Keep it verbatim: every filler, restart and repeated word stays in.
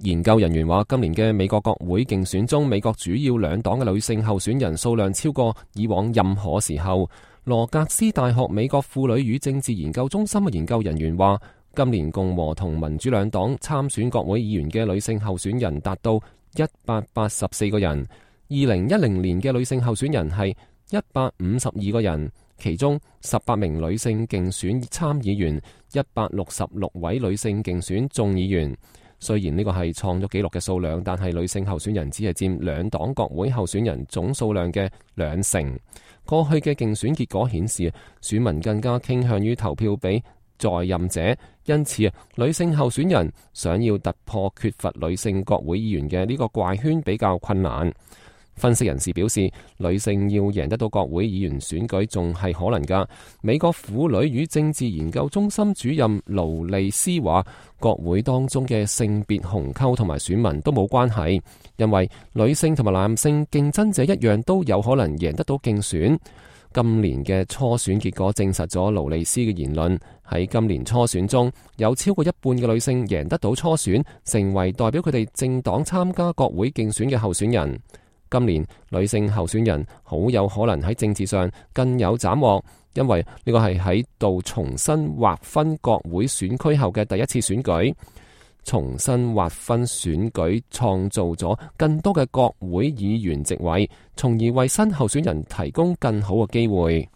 研究人員話，今年嘅美國國會競選中，美國主要兩黨嘅女性候選人數量超過以往任何時候。羅格斯大學美國婦女與政治研究中心嘅研究人員話，今年共和同民主兩黨參選國會議員嘅女性候選人達到一百八十四個人，二零一零年嘅女性候選人係一百五十二個人，其中十八名女性競選參議員，一百六十六位女性競選眾議員。雖然呢個係創咗紀錄嘅數量，但係女性候選人只係佔兩黨國會候選人總數量嘅兩成。過去嘅競選結果顯示，選民更加傾向於投票俾在任者，因此女性候選人想要突破缺乏女性國會議員嘅呢個怪圈比較困難。分析人士表示，女性要贏得到國會議員選舉仲係可能㗎。美國婦女與政治研究中心主任勞利斯話，國會當中嘅性別鴻溝同埋選民都冇關係，因為女性同埋男性競爭者一樣都有可能贏得到競選。今年嘅初選結果證實咗勞利斯嘅言論，喺今年初選中有超過一半嘅女性贏得到初選，成為代表佢哋政黨參加國會競選嘅候選人。今年女性候選人好有可能喺政治上更有斬獲，因為呢個係喺度重新劃分國會選區後嘅第一次選舉。重新劃分選舉創造咗更多嘅國會議員席位，從而為新候選人提供更好嘅機會。